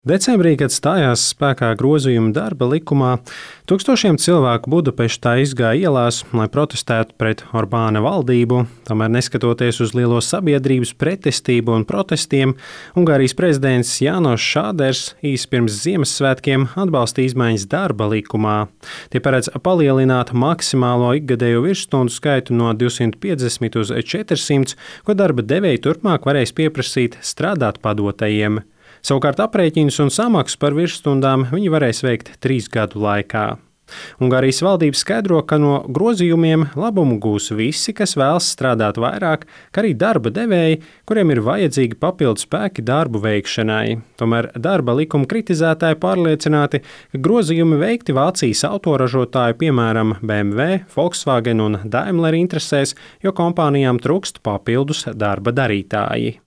Decembrī, kad stājās spēkā grozījumi darba likumā, tūkstošiem cilvēku Budapeštā izgāja ielās, lai protestētu pret Orbāna valdību. Tomēr, neskatoties uz lielo sabiedrības pretestību un protestiem, Ungārijas prezidents Jānos Šāders īsi pirms Ziemassvētkiem atbalstīja izmaiņas darba likumā. Tie paredz palielināt maksimālo ikgadējo virsstundu skaitu no 250 uz 400, ko darba devēji turpmāk varēs pieprasīt strādāt padotajiem. Savukārt aprēķinus un samaksu par virsstundām viņi varēs veikt 3 gadu laikā. Ungārijas valdība skaidro, ka no grozījumiem labumu gūs visi, kas vēlas strādāt vairāk, kā arī darba devēji, kuriem ir vajadzīgi papildu spēki darbu veikšanai. Tomēr darba likuma kritizētāji pārliecināti, ka grozījumi veikti Vācijas autoražotāju, piemēram, BMW, Volkswagen un Daimler interesēs, jo kompānijām trūkst papildus darba darītāji.